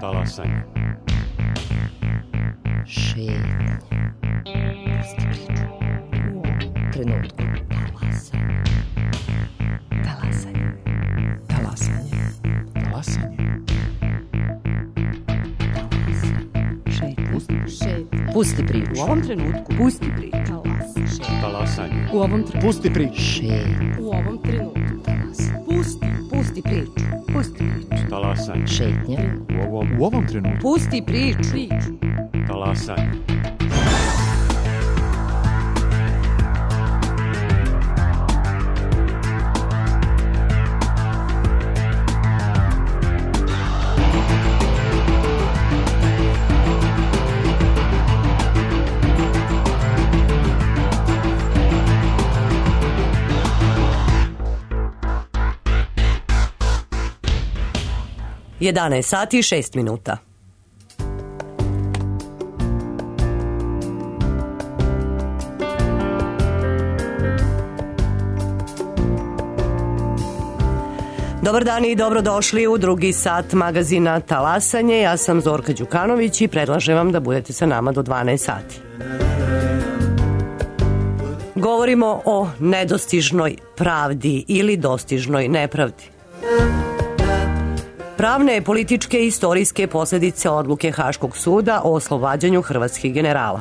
Talasanje. Šetnje. Pusti priču. U ovom trenutku. Talasanje. Talasanje. Talasanje. Šetnje. Pusti priču. U ovom trenutku. Pusti priču. Talasanje. U ovom trenutku. Pusti priču. Šetnje. U ovom trenutku. Pusti priču. Pusti priču. Talasanje. Šetnje. U ovom trenutku. Pusti priču. Talasanje. Jedanaest sati i 6 minuta. Dobar dan i dobrodošli u drugi sat magazina Talasanje. Ja sam Zorka Đukanović i predlažem vam da budete sa nama do 12 sati. Govorimo o nedostižnoj pravdi ili dostižnoj nepravdi. Pravne, političke i istorijske posljedice odluke Haškog suda o oslobađanju hrvatskih generala.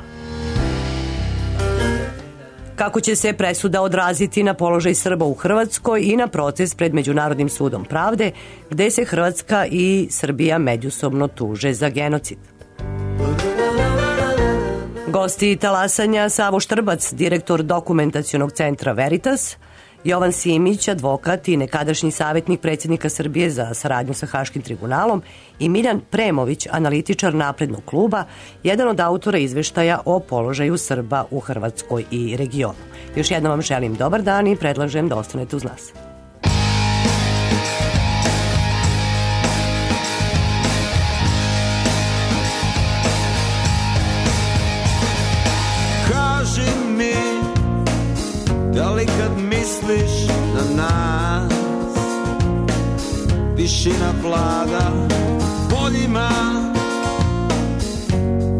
Kako će se presuda odraziti na položaj Srba u Hrvatskoj i na proces pred Međunarodnim sudom pravde, gde se Hrvatska i Srbija međusobno tuže za genocid. Gosti Talasanja: Savo Štrbac, direktor Dokumentacionog centra Veritas, Jovan Simić, advokat i nekadašnji savjetnik predsjednika Srbije za saradnju sa Haškim tribunalom, i Miljan Premović, analitičar Naprednog kluba, jedan od autora izveštaja o položaju Srba u Hrvatskoj i regionu. Još jednom vam želim dobar dan i predlažem da ostanete uz nas. Kaži mi, da li kad misliš na nas tišina vlada poljima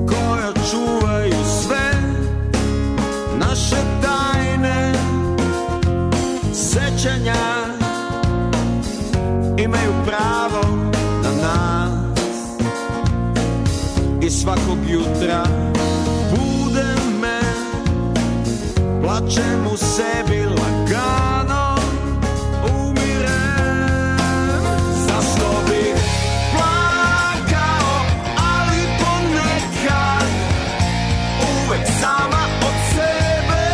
koja čuvaju sve naše tajne sećanja, imaju pravo na nas i svakog jutra bude me, plačem u sebi lagano, umirem. Zašto bih plakao, ali ponekad uvek sama od sebe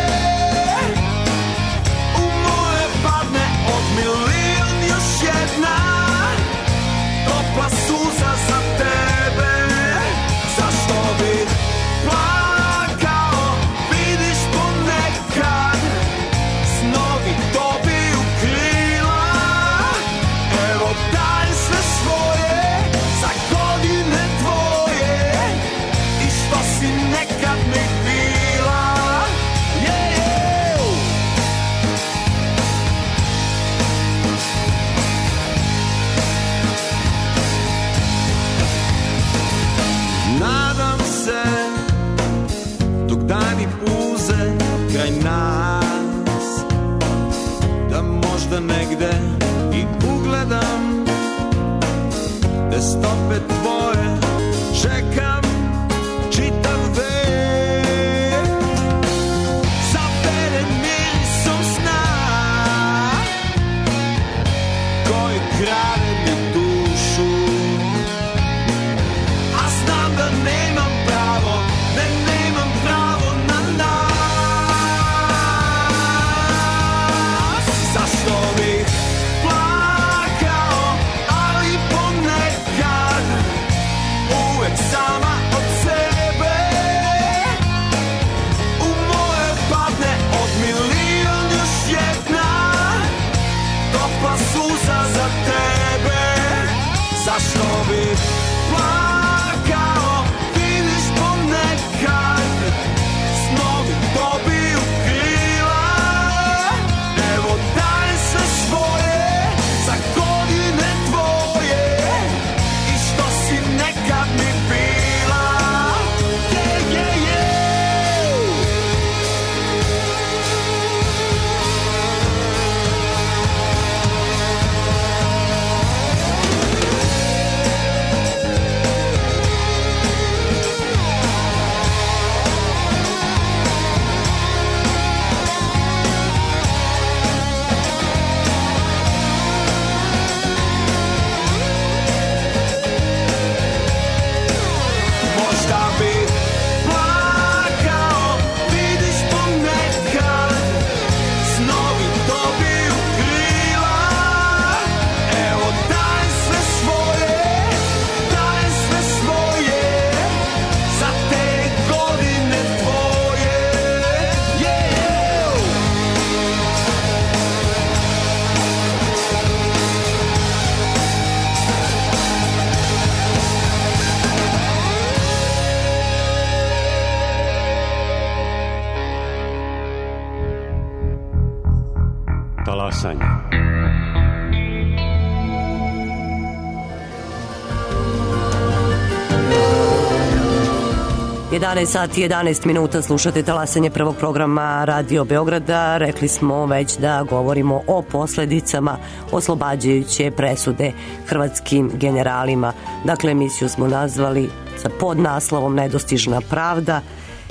u moje padne od milion još jedna topla suza za tebe. Zašto bih plakao, vidiš ponekad snovi dobiju krila. Evo daj sve svoje za godine tvoje i što si nekad mi bila. Nadam se dok dani puze kraj nas, da možda negde i ugledam te stope tvoje, čekam čitav vek, zaveren mirisom sna koji krade mi dušu, a znam da nemam pravo, nemam pravo na nas. Zašto bih plakao, ali ponekad uvek sama talasanje. 11 sati 11 minuta, slušate talasanje prvog programa Radio Beograda. Rekli smo već da govorimo o posledicama oslobađajuće presude hrvatskim generalima. Dakle, emisiju smo nazvali sa podnaslovom Nedostižna pravda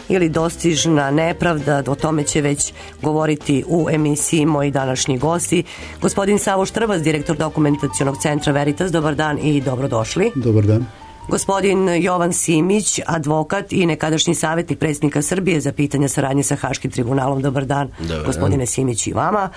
ili Dostižna nepravda. O tome će već govoriti u emisiji moji današnji gosti. Gospodin Savo Štrbac, direktor dokumentacionog centra Veritas, dobar dan i dobrodošli. Dobar dan. Gospodin Jovan Simić, advokat i nekadašnji savjetnik predsjednika Srbije za pitanja saradnje sa Haškim tribunalom. Dobar dan, gospodine Simić, i vama.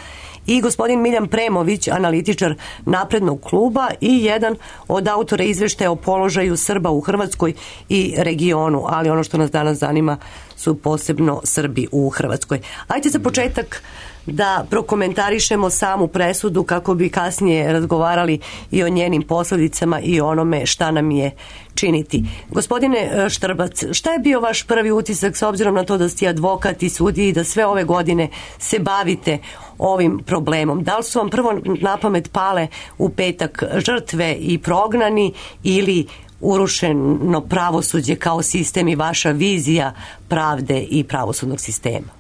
I gospodin Miljan Premović, analitičar Naprednog kluba i jedan od autora izveštaja o položaju Srba u Hrvatskoj i regionu, ali ono što nas danas zanima su posebno Srbi u Hrvatskoj. Ajde za početak da prokomentarišemo samu presudu kako bi kasnije razgovarali i o njenim posljedicama i onome šta nam je činiti. Gospodine Štrbac, šta je bio vaš prvi utisak s obzirom na to da ste advokat i sudija i da sve ove godine se bavite ovim problemom? Da li su vam prvo na pamet pale u petak žrtve i prognani ili urušeno pravosuđe kao sistem i vaša vizija pravde i pravosudnog sistema?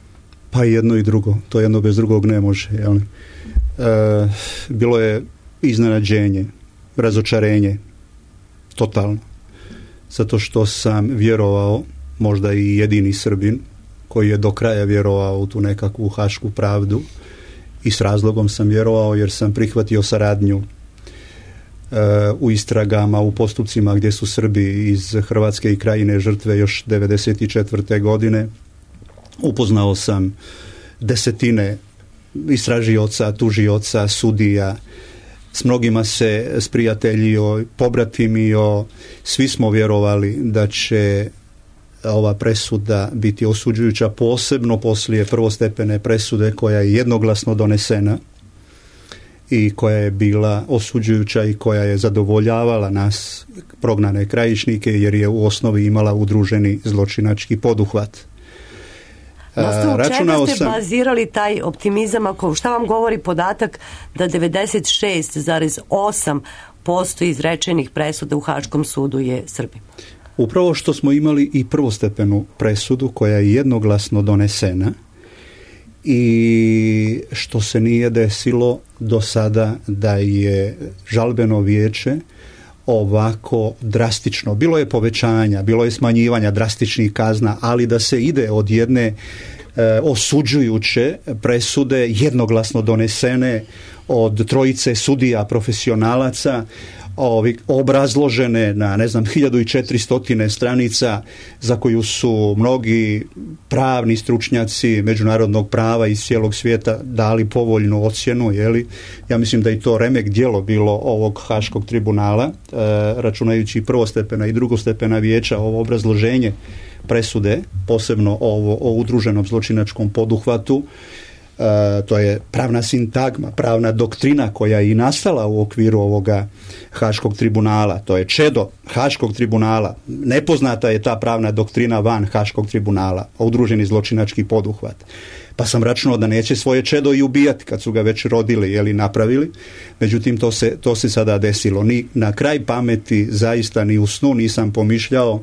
Pa jedno i drugo, to jedno bez drugog ne može. Jel? Bilo je iznenađenje, razočarenje, totalno. Zato što sam vjerovao, možda i jedini Srbin, koji je do kraja vjerovao u tu nekakvu hašku pravdu, i s razlogom sam vjerovao jer sam prihvatio saradnju u istragama, u postupcima gdje su Srbi iz Hrvatske i Krajine žrtve još 1994. godine. Upoznao sam desetine istražioca, tužioca, sudija, s mnogima se sprijateljio, pobratimio, svi smo vjerovali da će ova presuda biti osuđujuća, posebno poslije prvostepene presude koja je jednoglasno donesena i koja je bila osuđujuća i koja je zadovoljavala nas, prognane krajišnike, jer je u osnovi imala udruženi zločinački poduhvat. U čega ste bazirali taj optimizam? Šta vam govori podatak da 96,8% izrečenih presuda u Haškom sudu je Srbima? Upravo što smo imali i prvostepenu presudu koja je jednoglasno donesena i što se nije desilo do sada da je žalbeno vijeće ovako drastično. Bilo je povećanja, bilo je smanjivanja drastičnih kazna, ali da se ide od jedne osuđujuće presude jednoglasno donesene od trojice sudija profesionalaca, obrazložene na 1400 stranica, za koju su mnogi pravni stručnjaci međunarodnog prava iz cijelog svijeta dali povoljnu ocjenu, ja mislim da i to remek djelo bilo ovog Haškog tribunala, računajući prvostepena i drugostepena vijeća, ovo obrazloženje presude, posebno o udruženom zločinačkom poduhvatu. To je pravna sintagma, pravna doktrina koja je i nastala u okviru ovoga Haškog tribunala. To je čedo Haškog tribunala. Nepoznata je ta pravna doktrina van Haškog tribunala, udruženi zločinački poduhvat. Pa sam računao da neće svoje čedo i ubijati kad su ga već rodili, napravili. Međutim, to se sada desilo. Ni na kraj pameti, zaista ni u snu nisam pomišljao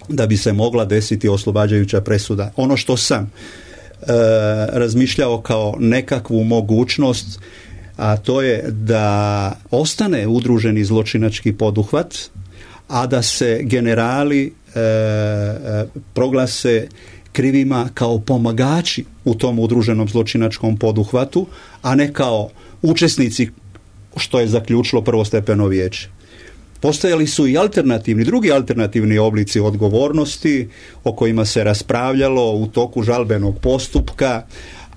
da bi se mogla desiti oslobađajuća presuda. Ono što sam razmišljao kao nekakvu mogućnost, a to je da ostane udruženi zločinački poduhvat, a da se generali proglase krivima kao pomagači u tom udruženom zločinačkom poduhvatu, a ne kao učesnici, što je zaključilo prvostepeno vijeće. Postojali su i drugi alternativni oblici odgovornosti o kojima se raspravljalo u toku žalbenog postupka,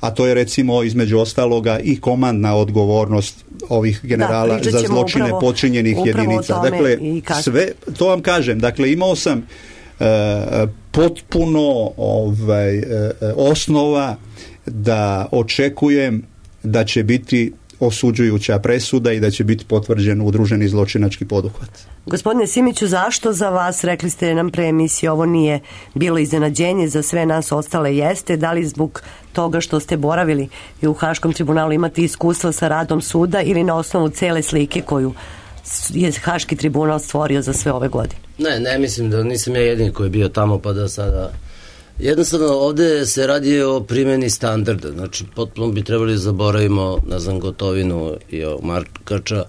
a to je recimo između ostaloga i komandna odgovornost ovih generala za zločine počinjenih jedinica. Dakle, sve, to vam kažem, dakle imao sam potpuno osnova da očekujem da će biti osuđujuća presuda i da će biti potvrđen udruženi zločinački poduhvat. Gospodine Simiću, zašto za vas, rekli ste nam pre emisije, ovo nije bilo iznenađenje, za sve nas ostale jeste? Da li zbog toga što ste boravili i u Haškom tribunalu imate iskustva sa radom suda ili na osnovu cele slike koju je Haški tribunal stvorio za sve ove godine? Ne mislim da nisam ja jedini koji je bio tamo pa da sada... Jednostavno, ovde se radi o primjeni standarda, znači potpuno bi trebali zaboravimo, ne znam, Gotovinu i Markača.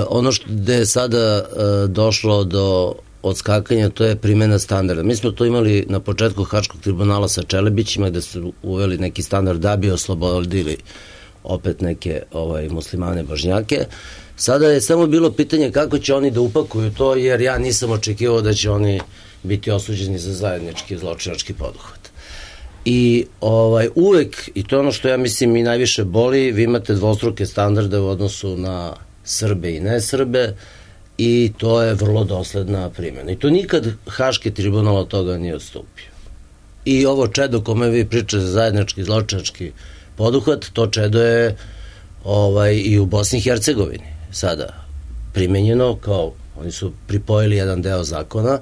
Ono što je sada došlo do odskakanja, to je primjena standarda. Mi smo to imali na početku Haškog tribunala sa Čelebićima, gde su uveli neki standard da bi oslobodili opet neke muslimane božnjake. Sada je samo bilo pitanje kako će oni da upakuju to, jer ja nisam očekivao da će oni biti osuđeni za zajednički zločinački poduhvat. I uvek, i to je ono što ja mislim i najviše boli, vi imate dvostruke standarde u odnosu na Srbe i ne Srbe i to je vrlo dosledna primjena. I to nikad Haški tribunal od toga nije odstupio. I ovo čedo kome vi pričate za zajednički zločinački poduhvat, to čedo je i u Bosni i Hercegovini sada primenjeno, kao oni su pripojili jedan deo zakona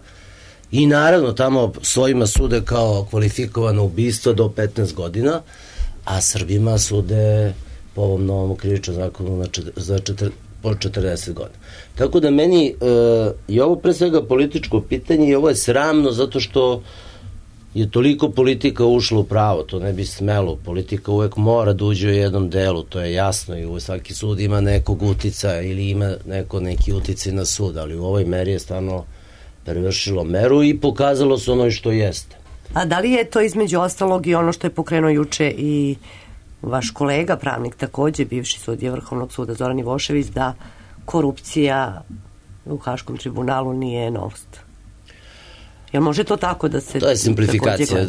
i naravno tamo svojima sude kao kvalifikovano ubistvo do 15 godina, a Srbima sude po ovom novom krivičnom zakonu po 40 godina. Tako da meni je ovo pre svega političko pitanje i ovo je sramno zato što je toliko politika ušla u pravo, to ne bi smelo. Politika uvek mora da uđe u jednom delu, to je jasno i svaki sud ima nekog uticaja ili ima neki uticaj na sud, ali u ovoj meri je stvarno prevršilo meru i pokazalo se ono što jeste. A da li je to između ostalog i ono što je pokrenuo juče i vaš kolega, pravnik takođe, bivši sudija Vrhovnog suda Zoran Ivošević, da korupcija u Haškom tribunalu nije novost? Jel može to tako da se... To je simplifikacija.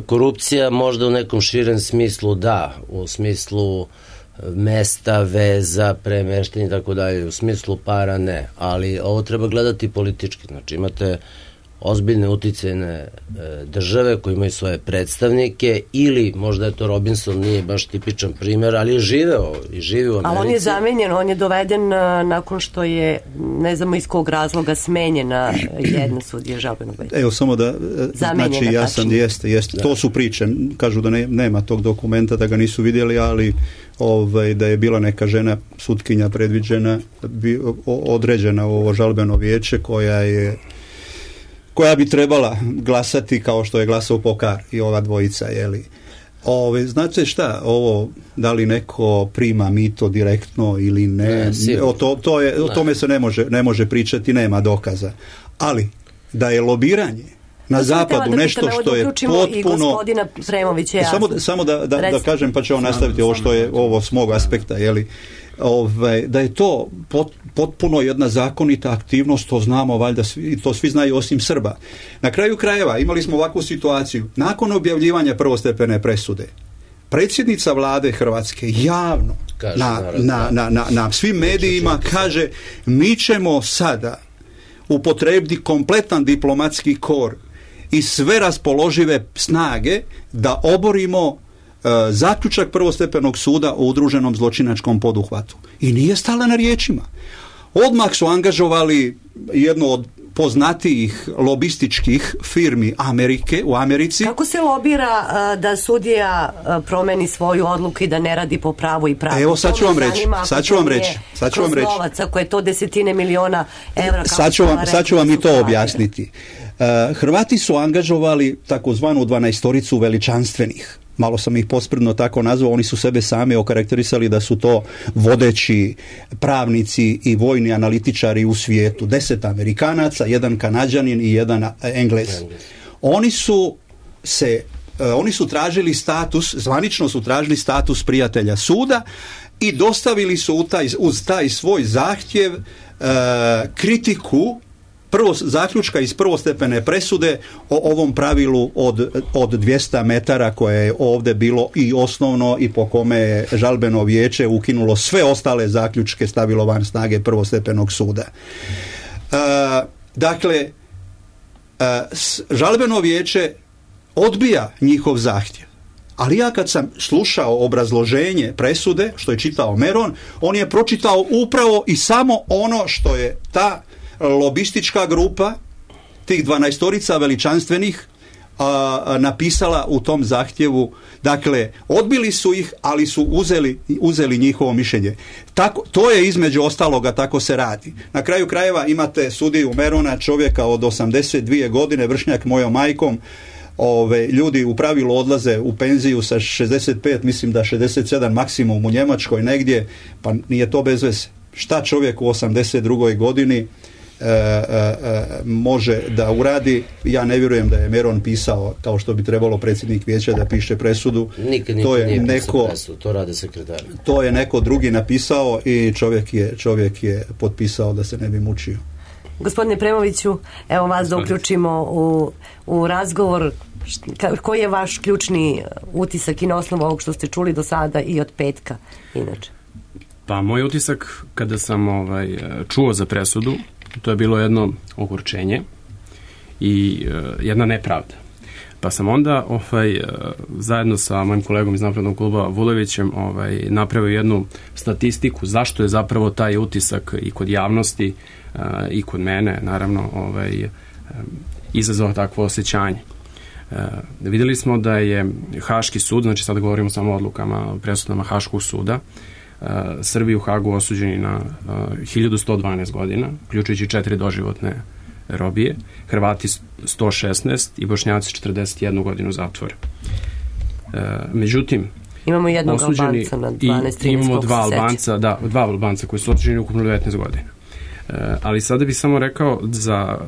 Korupcija možda u nekom širem smislu da, u smislu mesta, veza, premeštenja i tako dalje, u smislu para ne, ali ovo treba gledati politički, znači imate ozbiljne uticajne države koje imaju svoje predstavnike ili možda je to Robinson, nije baš tipičan primer, ali je živeo i živi u Americi. Ali on je zamenjen, on je doveden nakon što je, ne znamo iz kog razloga, smenjena jedna sudija žalbenog veća. Evo samo da, znači jeste. To su priče, kažu da nema tog dokumenta, da ga nisu vidjeli, ali da je bila neka žena sutkinja predviđena, određena u ovo žalbeno vijeće koja bi trebala glasati kao što je glasao Pokar i ova dvojica, jeli. Znate šta, da li neko prima mito direktno ili ne, o tome se ne može pričati, nema dokaza. Ali da je lobiranje na zapadu nešto što je potpuno... Samo da kažem, pa će on nastaviti ovo što je ovo s mog aspekta, jeli. Da je to potpuno jedna zakonita aktivnost, to znamo valjda to svi znaju osim Srba. Na kraju krajeva imali smo ovakvu situaciju. Nakon objavljivanja prvostepene presude, predsjednica vlade Hrvatske javno na svim medijima kaže: mi ćemo sada upotrebiti kompletan diplomatski kor i sve raspoložive snage da oborimo zaključak prvostepenog suda o udruženom zločinačkom poduhvatu. I nije stala na riječima. Odmah su angažovali jednu od poznatijih lobističkih firmi u Americi. Kako se lobira da sudija promeni svoju odluku i da ne radi po pravu i pravu? Evo, sad ću vam reći. Novac, ako je to desetine miliona evra. Sad ću vam i to objasniti. Hrvati su angažovali takozvanu 12-toricu veličanstvenih. Malo sam ih posprdno tako nazvao, oni su sebe sami okarakterisali da su to vodeći pravnici i vojni analitičari u svijetu. 10 Amerikanaca, 1 Kanađanin i 1 Englez. Oni su tražili status, zvanično su tražili status prijatelja suda i dostavili su uz taj svoj zahtjev kritiku zaključka iz prvostepene presude o ovom pravilu od 200 metara koje je ovdje bilo i osnovno i po kome je žalbeno vijeće ukinulo sve ostale zaključke, stavilo van snage prvostepenog suda. Dakle, žalbeno vijeće odbija njihov zahtjev. Ali ja kad sam slušao obrazloženje presude, što je čitao Meron, on je pročitao upravo i samo ono što je ta lobistička grupa, tih 12 veličanstvenih, napisala u tom zahtjevu. Dakle, odbili su ih, ali su uzeli njihovo mišljenje. Tako, to je između ostaloga, tako se radi. Na kraju krajeva imate sudiju Merona, čovjeka od 82 godine, vršnjak mojom majkom. Ljudi u pravilu odlaze u penziju sa 65, mislim da 67 maksimum u Njemačkoj negdje, pa nije to bez veze. Šta čovjek u 82. godini može da uradi? Ja ne vjerujem da je Meron pisao, kao što bi trebalo predsjednik vijeća da piše presudu. Nikad nije pisao presudu, to rade sekretari. To je neko drugi napisao i čovjek je potpisao da se ne bi mučio. Gospodine Premoviću, evo vas da uključimo u razgovor. Koji je vaš ključni utisak i na osnovu ovog što ste čuli do sada i od petka inače? Pa moj utisak kada sam čuo za presudu, to je bilo jedno ogorčenje i jedna nepravda. Pa sam onda zajedno sa mojim kolegom iz Naprednog kluba Vulevićem napravio jednu statistiku zašto je zapravo taj utisak i kod javnosti i kod mene naravno izazvao takvo osjećanje. Vidjeli smo da je Haški sud, znači sad govorimo samo o odlukama, presudama Haškog suda, Srbi u Hagu osuđeni na 1112 godina, uključujući 4 doživotne robije, Hrvati 116 i Bošnjaci 41 godinu zatvora. Međutim, imamo jednog Albanca na 12-13, imamo dva Albanca koji su osuđeni ukupno 19 godina. Ali sada bih samo rekao za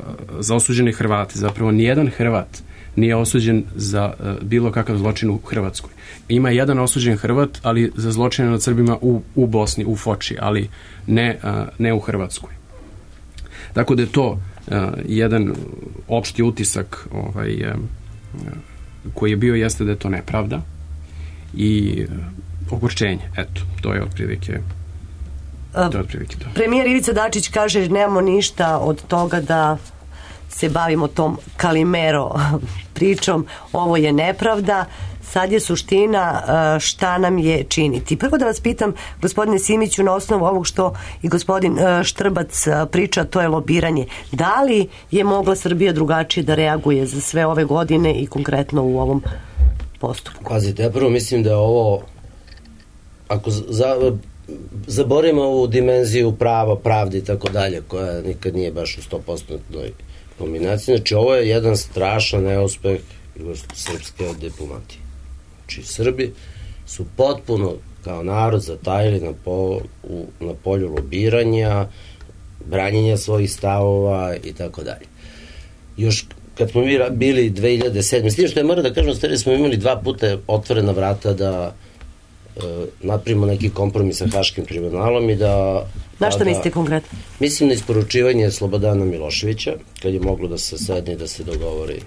osuđene Hrvate, zapravo nijedan Hrvat nije osuđen za bilo kakav zločin u Hrvatskoj. Ima jedan osuđen Hrvat, ali za zločine nad Srbima u Bosni, u Foči, ali ne u Hrvatskoj. Tako da je to jedan opšti utisak koji je bio jeste da je to nepravda i ogorčenje. Eto, to je otprilike to. Premijer Ivica Dačić kaže nemamo ništa od toga da se bavimo tom Kalimero pričom, ovo je nepravda, sad je suština šta nam je činiti. Prvo da vas pitam, gospodine Simiću, na osnovu ovog što i gospodin Štrbac priča, to je lobiranje. Da li je mogla Srbija drugačije da reaguje za sve ove godine i konkretno u ovom postupku? Pazite, ja prvo mislim da je ovo, ako zaborimo ovu dimenziju prava, pravde i tako dalje, koja nikad nije baš u 100% kombinaciji, znači ovo je jedan strašan neuspeh srpske diplomatije. Znači Srbi su potpuno kao narod zatajili na polju lobiranja, branjenja svojih stavova i tako dalje. Još kad smo mi bili 2007. S tim što je moram da kažem, stvari smo imali 2 puta otvorena vrata da napravimo neki kompromis sa Haškim tribunalom i da... Na što mislite konkretno? Mislim na isporučivanje Slobodana Miloševića, kad je moglo da se sedne i da se dogovori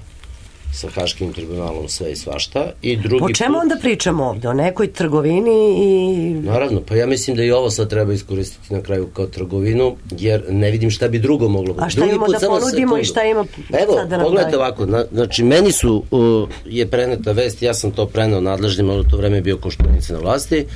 sa Haškim tribunalom sve i svašta. I drugi po čemu onda pričamo ovde? O nekoj trgovini i... Naravno, pa ja mislim da i ovo sad treba iskoristiti na kraju kao trgovinu, jer ne vidim šta bi drugo moglo biti. A šta imamo da ponudimo i šta ima sad da nam... Evo, pogledajte ovako, znači meni je preneta vest, ja sam to preneo nadležnima, u to vreme je bio Koštunica na vlasti,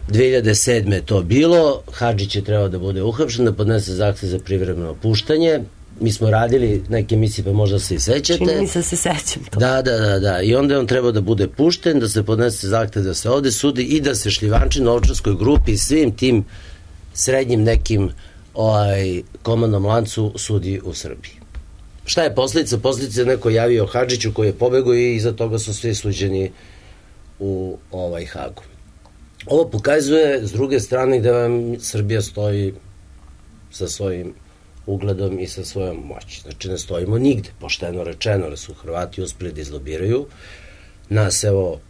2007. je to bilo, Hadžić je trebao da bude uhapšen, da podnese zahtev za privremeno puštanje. Mi smo radili neke emisije, pa možda se i sećate. Čini mi se sećam to. Da. I onda je on trebao da bude pušten, da se podnese zahtev da se ovde sudi i da se šljivanči novčarskoj grupi i svim tim srednjim nekim komandnom lancu sudi u Srbiji. Šta je posljedica? Posljedica je neko javio Hadžiću koji je pobegao i iza toga su svi suđeni u Hagu. Ovo pokazuje s druge strane gde vam Srbija stoji sa svojim ugledom i sa svojom moći. Znači ne stojimo nigde, pošteno rečeno, da su Hrvati uspeli da izlobiraju. Nas evo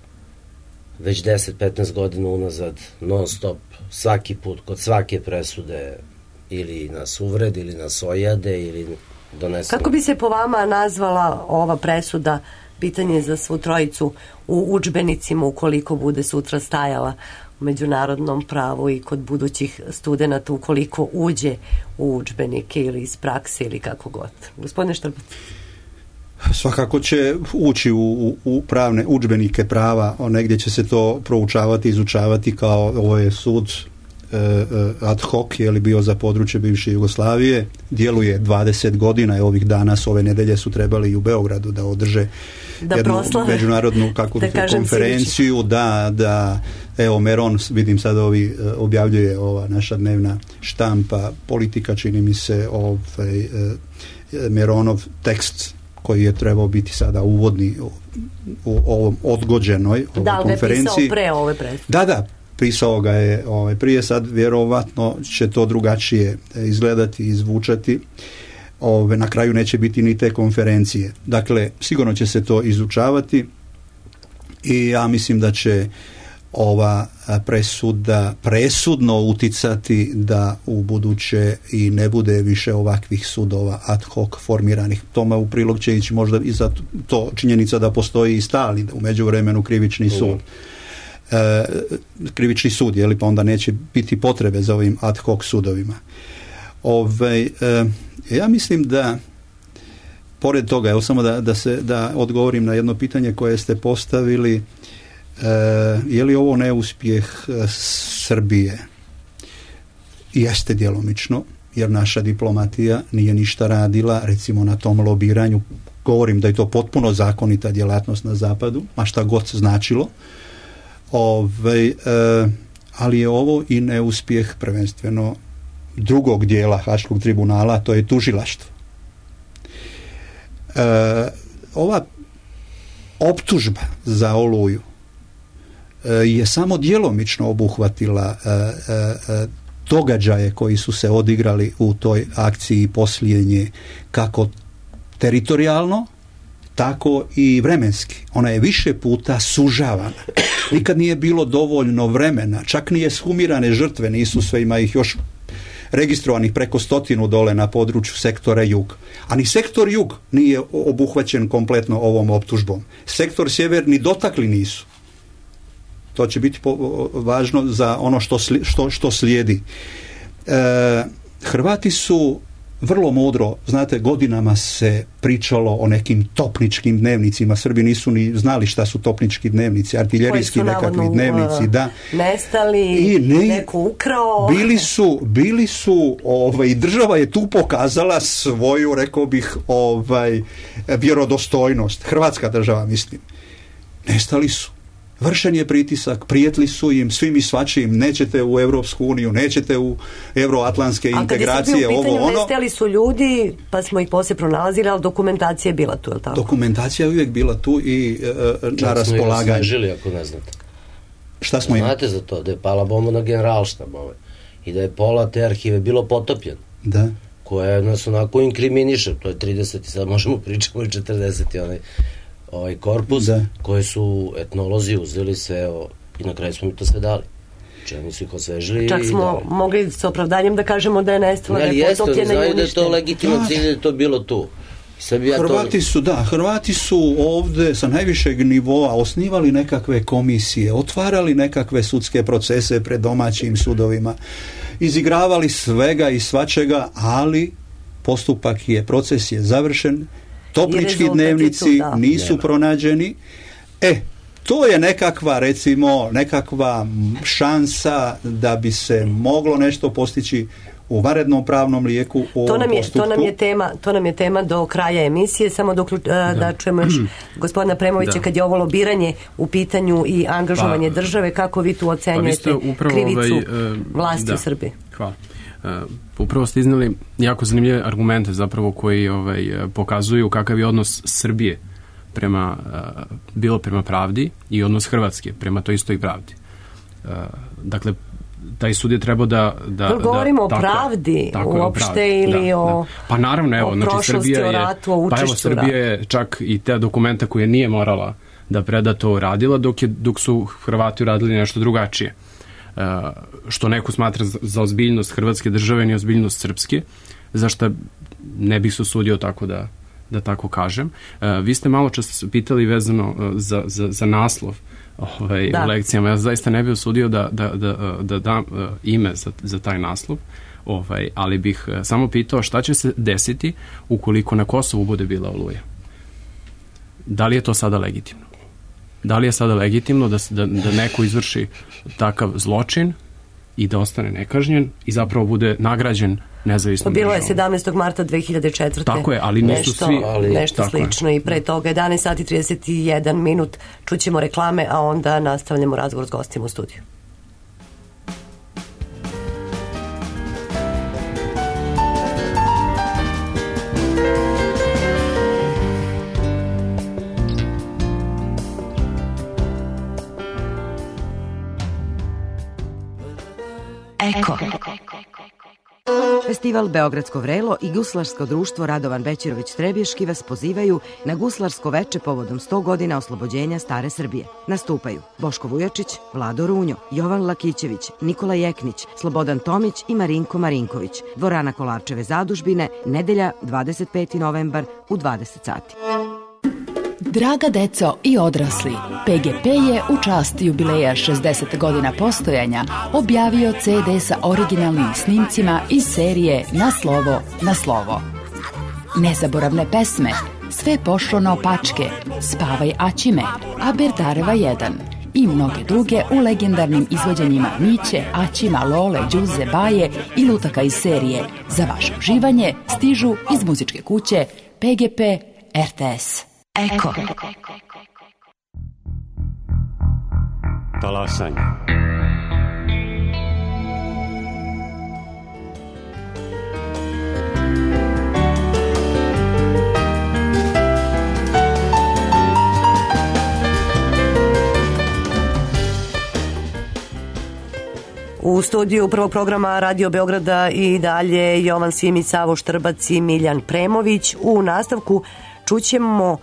već 10-15 godina unazad non stop, svaki put, kod svake presude ili nas uvrede, ili nas ojade, ili donesemo... Kako bi se po vama nazvala ova presuda, pitanje za svu trojicu, u udžbenicima ukoliko bude sutra stajala u međunarodnom pravu i kod budućih studenata ukoliko uđe u udžbenike ili iz prakse ili kako god? Gospodine Štrbac. Svakako će ući u pravne udžbenike prava, negdje će se to proučavati, izučavati kao ovo je sud ad hoc, je li bio za područje bivše Jugoslavije, djeluje 20 godina, ovih dana ove nedelje su trebali i u Beogradu da održe jednu međunarodnu konferenciju, da evo Meron, vidim sad objavljuje ova naša dnevna štampa Politika, čini mi se Meronov tekst koji je trebao biti sada uvodni u ovom odgođenoj konferenciji. Da, ga je pisao pre ove predstavljene. Da, pisao ga je prije, sad vjerovatno će to drugačije izgledati, izvučati. Na kraju neće biti ni te konferencije. Dakle, sigurno će se to izučavati i ja mislim da će ova presuda presudno uticati da u buduće i ne bude više ovakvih sudova ad hoc formiranih. Tome u prilog će ići možda i za to činjenica da postoji i stalni u međuvremenu krivični sud. Krivični sud, je li, pa onda neće biti potrebe za ovim ad hoc sudovima. Ja mislim da pored toga, evo samo da odgovorim na jedno pitanje koje ste postavili, je li ovo neuspjeh Srbije? Jeste djelomično, jer naša diplomatija nije ništa radila, recimo na tom lobiranju. Govorim da je to potpuno zakonita djelatnost na zapadu, ma šta god značilo. Ali je ovo i neuspjeh prvenstveno drugog dijela Haškog tribunala, to je tužilaštvo. Ova optužba za Oluju je samo djelomično obuhvatila događaje koji su se odigrali u toj akciji poslije nje, kako teritorijalno, tako i vremenski. Ona je više puta sužavana. Nikad nije bilo dovoljno vremena, čak nije sumirane žrtve, nisu sve, ima ih još registrovanih preko 100 dole na području sektora Jug. A ni sektor Jug nije obuhvaćen kompletno ovom optužbom. Sektor Sjever ni dotakli nisu. To će biti važno za ono što slijedi. Hrvati su vrlo mudro, znate, godinama se pričalo o nekim topničkim dnevnicima. Srbi nisu ni znali šta su topnički dnevnici, artiljerijski nekakvi dnevnici, da. Nestali, i neko ukrao. Bili su i država je tu pokazala svoju, rekao bih, vjerodostojnost. Hrvatska država, mislim. Nestali su. Vršen je pritisak, prijetli su im svim i svačim, nećete u Europsku uniju, nećete u euroatlantske integracije, ovo ono. Nestali su ljudi, pa smo ih poslije pronalazili, ali dokumentacija je bila tu, je li tako? Dokumentacija je uvijek bila tu i na raspolaganju. Čak smo ih osvežili, ako ne znate. Šta smo im? Znate za to, da je pala bomba na Generalštab i da je pola te arhive bilo potopljeno. Da. Koje nas onako inkriminiše, to je 30, sad možemo pričamo i 40 ovaj korpus, koji su etnolozi uzeli sve i na kraju smo mi to sve dali. Čemu su ih osvežili. Čak smo mogli s opravdanjem da kažemo da je nestala, da je potopljena i uništena. Da je to legitiman cilj, da je to bilo tu. Hrvati su ovdje sa najvišeg nivoa osnivali nekakve komisije, otvarali nekakve sudske procese pred domaćim sudovima, izigravali svega i svačega, ali proces je završen, topnički dnevnici nisu pronađeni. To je nekakva šansa da bi se moglo nešto postići u vanrednom pravnom lijeku u ovom postupku. To nam je tema do kraja emisije, samo da čujemo još gospodina Premovića kad je ovo lobiranje u pitanju i angažovanje države, kako vi tu ocenjujete krivicu vlasti u Srbiji? Hvala. Upravo ste iznali jako zanimljive argumente zapravo koji pokazuju kakav je odnos Srbije bilo prema pravdi i odnos Hrvatske prema toj istoj pravdi. Dakle, taj sud je trebao da govorimo o pravdi uopšte ili o pa naravno, evo, znači Srbija je, Srbija je čak i te dokumenta koje nije morala da preda to radila, dok su Hrvati uradili nešto drugačije. Što neko smatra za ozbiljnost Hrvatske države ni ozbiljnost Srpske, zašto ne bih se usudio tako da tako kažem. Vi ste malo čas pitali vezano za naslov u lekcijama. Ja zaista ne bih usudio da dam ime za taj naslov, ali bih samo pitao šta će se desiti ukoliko na Kosovu bude bila Oluja. Da li je to sada legitimno? Da li je sada legitimno da neko izvrši takav zločin i da ostane nekažnjen i zapravo bude nagrađen nezavisnom državom? Bilo je državom. 17. marta 2004. Tako je, ali nisu svi... Nešto slično i pre toga 11 sati 31 minut čućemo reklame, a onda nastavljamo razgovor s gostima u studiju. Eko. Festival Beogradsko vrelo i Guslarsko društvo Radovan Bećirović Trebješki vas pozivaju na guslarsko veče povodom 100 godina oslobođenja Stare Srbije. Nastupaju Boško Vujačić, Vlado Runjo, Jovan Lakićević, Nikola Jeknić, Slobodan Tomić i Marinko Marinković. Dvorana Kolarčeve zadužbine, nedelja 25. novembar u 20 sati. Draga deco i odrasli, PGP je u čast jubileja 60 godina postojanja objavio CD sa originalnim snimcima iz serije Na slovo, na slovo. Nezaboravne pesme, Sve pošlo naopačke, Spavaj Aćime, Aberdareva 1 i mnoge druge u legendarnim izvođenjima Miće, Aćima, Lole, Đuze, Baje i lutaka iz serije. Za vaše uživanje stižu iz muzičke kuće PGP RTS. Eko. Talasanje. U studiju prvog programa Radio Beograda i dalje Jovan Simić, Savo Štrbac i Miljan Premović. U nastavku čućemo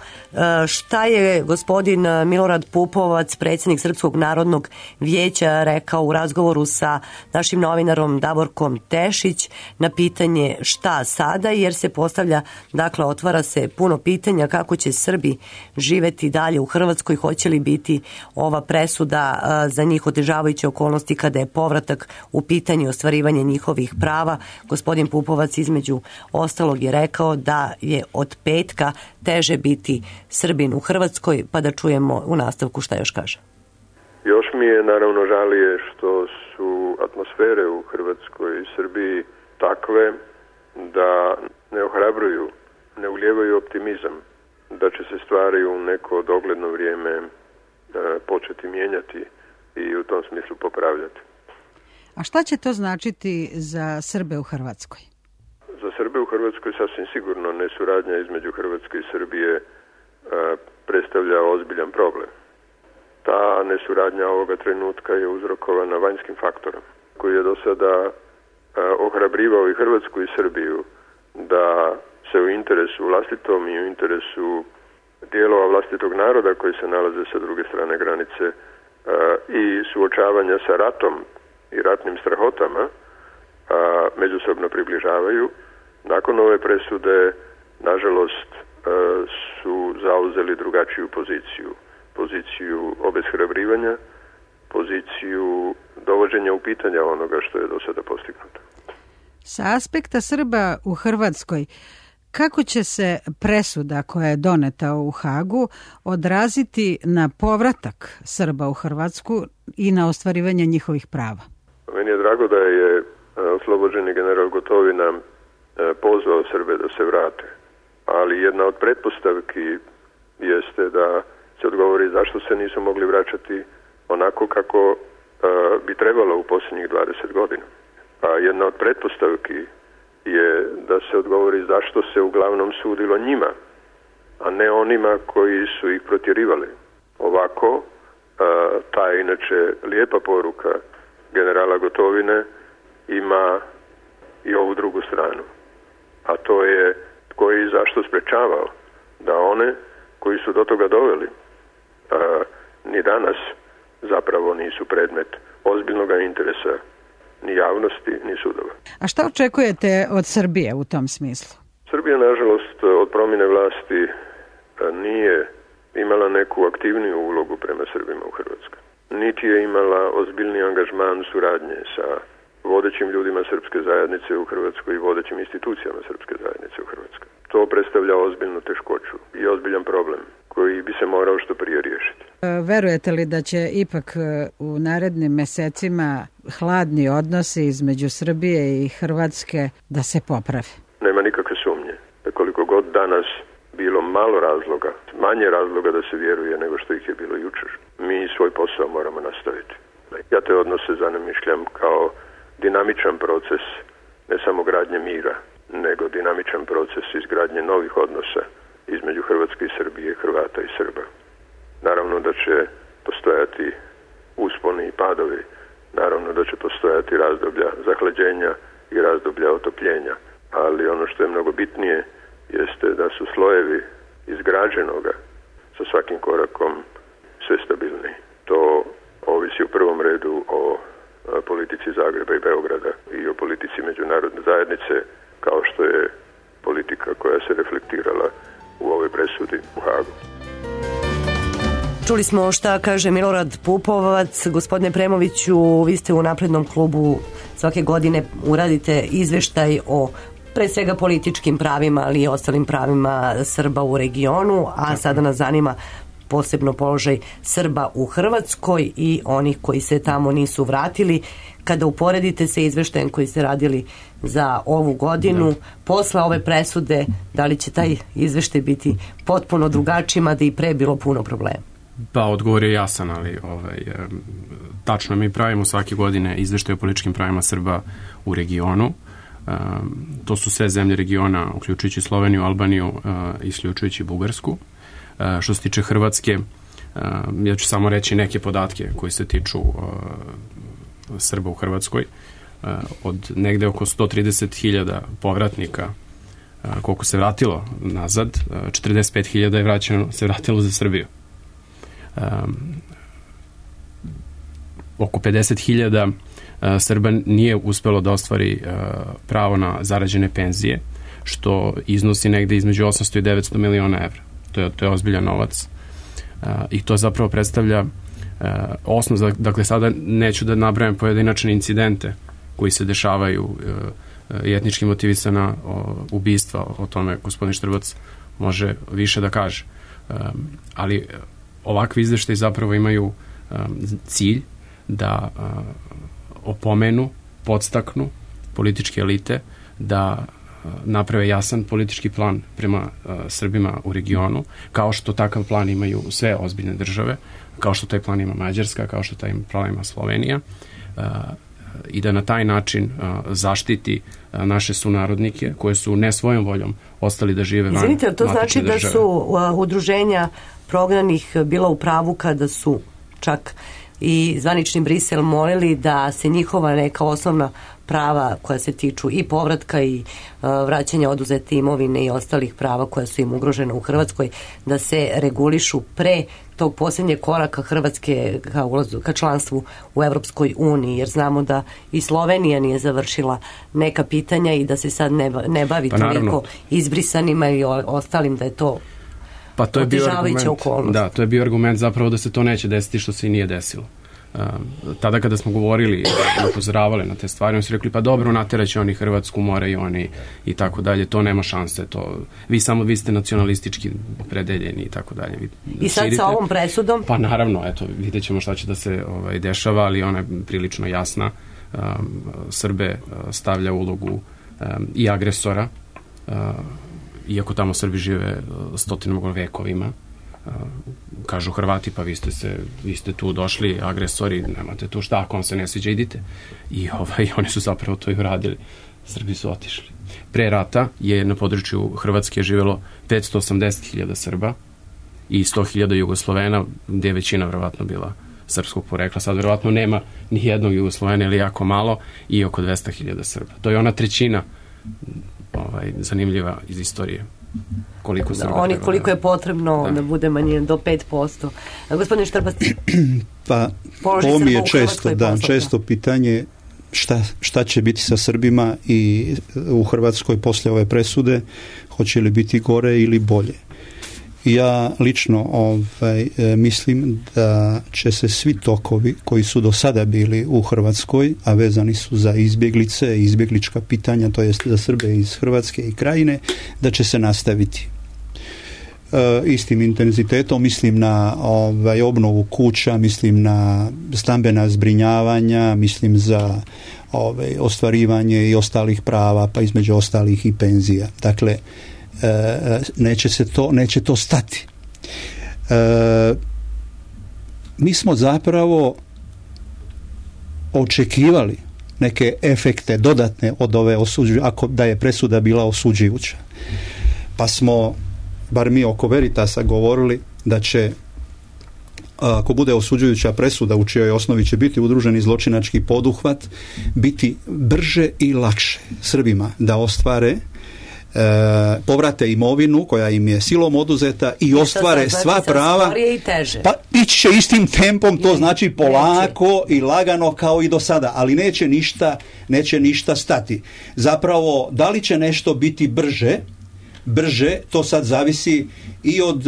šta je gospodin Milorad Pupovac, predsjednik Srpskog narodnog vijeća, rekao u razgovoru sa našim novinarom Davorkom Tešić na pitanje šta sada, jer se postavlja, dakle otvara se puno pitanja kako će Srbi živeti dalje u Hrvatskoj, hoće li biti ova presuda za njih otežavajuće okolnosti kada je povratak u pitanju ostvarivanje njihovih prava. Gospodin Pupovac između ostalog je rekao da je od petka teže biti Srbin u Hrvatskoj, pa da čujemo u nastavku šta još kaže. Još mi je naravno žalije što su atmosfere u Hrvatskoj i Srbiji takve da ne ohrabruju, ne ulijevaju optimizam da će se stvari u neko dogledno vrijeme početi mijenjati i u tom smislu popravljati. A šta će to značiti za Srbe u Hrvatskoj? Za Srbe u Hrvatskoj sasvim sigurno nesuradnja između Hrvatske i Srbije predstavlja ozbiljan problem. Ta nesuradnja ovoga trenutka je uzrokovana vanjskim faktorom koji je do sada ohrabrivao i Hrvatsku i Srbiju da se u interesu vlastitom i u interesu dijelova vlastitog naroda koji se nalaze sa druge strane granice i suočavanja sa ratom i ratnim strahotama međusobno približavaju. Nakon ove presude, nažalost, su zauzeli drugačiju poziciju obeshrabrivanja, poziciju dovođenja u pitanja onoga što je do sada postignuto. Sa aspekta Srba u Hrvatskoj, kako će se presuda koja je doneta u Hagu odraziti na povratak Srba u Hrvatsku i na ostvarivanje njihovih prava? Meni je drago da je oslobođeni general Gotovina pozvao Srbe da se vrate, ali jedna od pretpostavki jeste da se odgovori zašto se nisu mogli vraćati onako kako bi trebalo u posljednjih 20 godina. A jedna od pretpostavki je da se odgovori zašto se uglavnom sudilo njima, a ne onima koji su ih protjerivali. Ovako, ta inače lijepa poruka generala Gotovine ima i ovu drugu stranu. A to je tko je i zašto sprečavao da one koji su do toga doveli ni danas zapravo nisu predmet ozbiljnog interesa ni javnosti, ni sudova. A šta očekujete od Srbije u tom smislu? Srbija, nažalost, od promjene vlasti nije imala neku aktivniju ulogu prema Srbima u Hrvatskoj. Niti je imala ozbiljni angažman suradnje sa vodećim ljudima srpske zajednice u Hrvatskoj i vodećim institucijama srpske zajednice u Hrvatskoj. To predstavlja ozbiljnu teškoću i ozbiljan problem koji bi se morao što prije riješiti. Verujete li da će ipak u narednim mesecima hladni odnosi između Srbije i Hrvatske da se poprave? Nema nikakve sumnje da koliko god danas bilo malo razloga, manje razloga da se vjeruje nego što ih je bilo jučer, mi svoj posao moramo nastaviti. Ja te odnose zanamišljam kao dinamičan proces ne samo gradnje mira, nego dinamičan proces izgradnje novih odnosa između Hrvatske i Srbije, Hrvata i Srba. Naravno da će postojati usponi i padovi, naravno da će postojati razdoblja zahlađenja i razdoblja otopljenja, ali ono što je mnogo bitnije jeste da su slojevi izgrađenoga sa svakim korakom sve stabilniji. To ovisi u prvom redu o politici Zagreba i Beograda i o politici međunarodne zajednice, kao što je politika koja se reflektirala u ovoj presudi u Hagu. Čuli smo šta kaže Milorad Pupovac. Gospodine Premoviću, vi ste u Naprednom klubu, svake godine uradite izveštaj o pre svega političkim pravima, ali i ostalim pravima Srba u regionu, a sada nas zanima posebno položaj Srba u Hrvatskoj i onih koji se tamo nisu vratili. Kada uporedite sa izveštajem koji ste radili za ovu godinu, posle ove presude, da li će taj izveštaj biti potpuno drugačiji, mada i pre bilo puno problema? Pa, odgovor je jasan, ali tačno, mi pravimo svake godine izveštaj o političkim pravima Srba u regionu. To su sve zemlje regiona, uključujući Sloveniju, Albaniju, isključujući Bugarsku. Što se tiče Hrvatske, ja ću samo reći neke podatke koji se tiču Srba u Hrvatskoj. Od negde oko 130.000 povratnika koliko se vratilo nazad, 45.000 se vratilo za Srbiju. Oko 50.000 Srba nije uspelo da ostvari pravo na zarađene penzije, što iznosi negde između 800 i 900 miliona evra. To je ozbiljan novac i to zapravo predstavlja osnov. Dakle, sada neću da nabrajam pojedinačne incidente koji se dešavaju i etnički motivisana ubistva, o tome gospodin Štrbac može više da kaže. Ali ovakvi izveštaji zapravo imaju cilj da opomenu, podstaknu političke elite da naprave jasan politički plan prema Srbima u regionu, kao što takav plan imaju sve ozbiljne države, kao što taj plan ima Mađarska, kao što taj plan ima Slovenija, i da na taj način zaštiti naše sunarodnike koje su ne svojom voljom ostali da žive van matične države. Izvinite, to znači da su udruženja prognanih bila u pravu kada su čak i zvanični Brisel molili da se njihova neka osnovna prava koja se tiču i povratka i vraćanja oduzete imovine i ostalih prava koja su im ugrožena u Hrvatskoj, da se regulišu pre tog posljednjeg koraka Hrvatske ka članstvu u Evropskoj uniji, jer znamo da i Slovenija nije završila neka pitanja i da se sad ne bavi toliko izbrisanima i ostalim, da je to otežavajuća okolnost. Da, to je bio argument zapravo da se to neće desiti, što se i nije desilo. Tada kada smo govorili i upozoravali na te stvari, oni su rekli, pa dobro, nateraće oni Hrvatsku, more i oni i tako dalje, to nema šanse, vi ste nacionalistički opredeljeni i tako dalje. I sad sa ovom presudom? Pa naravno, eto, vidjet ćemo šta će da se dešava, ali ona je prilično jasna. Srbe stavlja ulogu i agresora, iako tamo Srbi žive stotinama vekovima. Kažu Hrvati, pa vi ste tu došli agresori, nemate tu šta, ako vam se ne sviđa, idite. I oni su zapravo to i uradili. Srbi su otišli. Pre rata je na području Hrvatske živjelo 580.000 Srba i 100.000 Jugoslovena, gdje je većina verovatno bila srpskog porekla. Sad verovatno nema ni jednog Jugoslovena ili jako malo, i oko 200.000 Srba. To je ona trećina zanimljiva iz istorije. Koliko je potrebno da bude manjina, do 5%. Gospodin Štrbac, pa ovo mi je često pitanje šta će biti sa Srbima i u Hrvatskoj poslije ove presude, hoće li biti gore ili bolje. Ja lično mislim da će se svi tokovi koji su do sada bili u Hrvatskoj, a vezani su za izbjeglice i izbjeglička pitanja, to jest za Srbe iz Hrvatske i Krajine, da će se nastaviti. istim intenzitetom, mislim na obnovu kuća, mislim na stambena zbrinjavanja, mislim za ostvarivanje i ostalih prava, pa između ostalih i penzija. Dakle, neće to stati. Mi smo zapravo očekivali neke efekte dodatne od ove ako da je presuda bila osuđujuća. Pa smo, bar mi oko Veritasa, govorili da će, ako bude osuđujuća presuda u čijoj osnovi će biti udruženi zločinački poduhvat, biti brže i lakše Srbima da ostvare, povrate imovinu koja im je silom oduzeta i ostvare sva prava. Pa ići će istim tempom, to znači polako i lagano kao i do sada, ali neće ništa stati. Zapravo, da li će nešto biti brže, to sad zavisi i od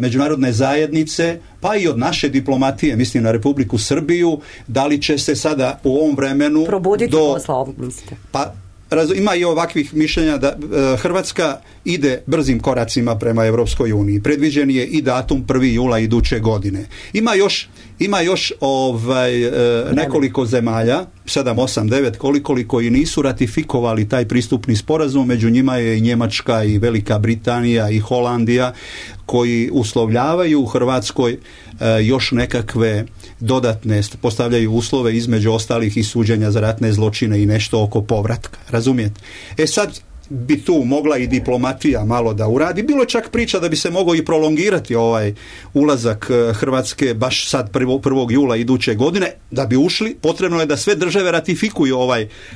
međunarodne zajednice, pa i od naše diplomatije, mislim na Republiku Srbiju, da li će se sada u ovom vremenu probuditi posla ovog, mislite? Pa ima i ovakvih mišljenja da Hrvatska ide brzim koracima prema Evropskoj uniji. Predviđen je i datum 1. jula iduće godine. Ima još nekoliko zemalja, 7, 8, 9, koliko i nisu ratifikovali taj pristupni sporazum. Među njima je i Njemačka i Velika Britanija i Holandija, koji uslovljavaju u Hrvatskoj još nekakve dodatne, postavljaju uslove, između ostalih i suđenja za ratne zločine i nešto oko povratka. Razumijete? Sad bi tu mogla i diplomatija malo da uradi. Bilo je čak priča da bi se mogao i prolongirati ovaj ulazak Hrvatske baš sad 1. jula iduće godine. Da bi ušli, potrebno je da sve države ratifikuju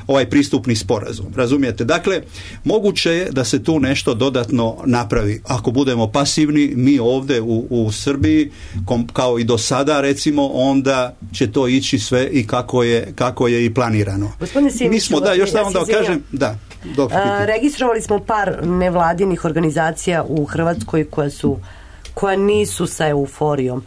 ovaj pristupni sporazum. Razumijete? Dakle, moguće je da se tu nešto dodatno napravi. Ako budemo pasivni, mi ovdje u Srbiji, kao i do sada recimo, onda će to ići sve i kako je i planirano. Gospodine Simiću, mi smo, još samo da kažem, da. Registrovali smo par nevladinih organizacija u Hrvatskoj koja nisu sa euforijom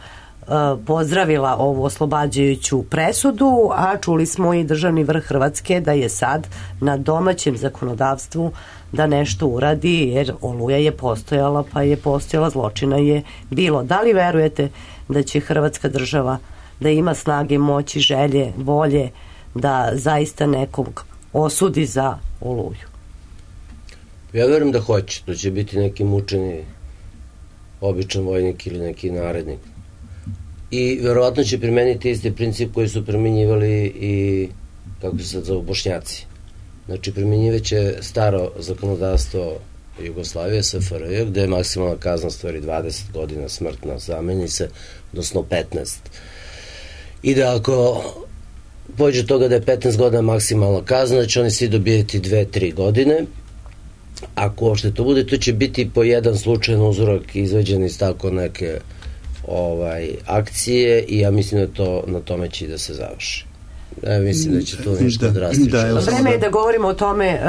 pozdravila ovu oslobađajuću presudu, a čuli smo i državni vrh Hrvatske da je sad na domaćem zakonodavstvu da nešto uradi, jer Oluja je postojala, pa je postojala, zločina je bilo. Da li verujete da će Hrvatska država da ima snage, moći, želje, volje da zaista nekog osudi za Oluju? Ja verujem da hoće, da će biti neki mučeni običan vojnik ili neki narednik. I verovatno će primeniti isti princip koji su primenjivali i, kako se sad zove, Bošnjaci. Znači, primenjivaće staro zakonodavstvo Jugoslavije, SFRJ, gde je maksimalna kazna stvari 20 godina smrtna, zameni se, odnosno 15. I da ako pođe toga da je 15 godina maksimalna kazna, da će oni svi dobijeti 2-3 godine. Ako uopšte to bude, to će biti po jedan slučajan uzorak izveđen iz tako neke akcije i ja mislim da to na tome će da se završi. Ja mislim da će to nešto drastično. Vreme je da govorimo o tome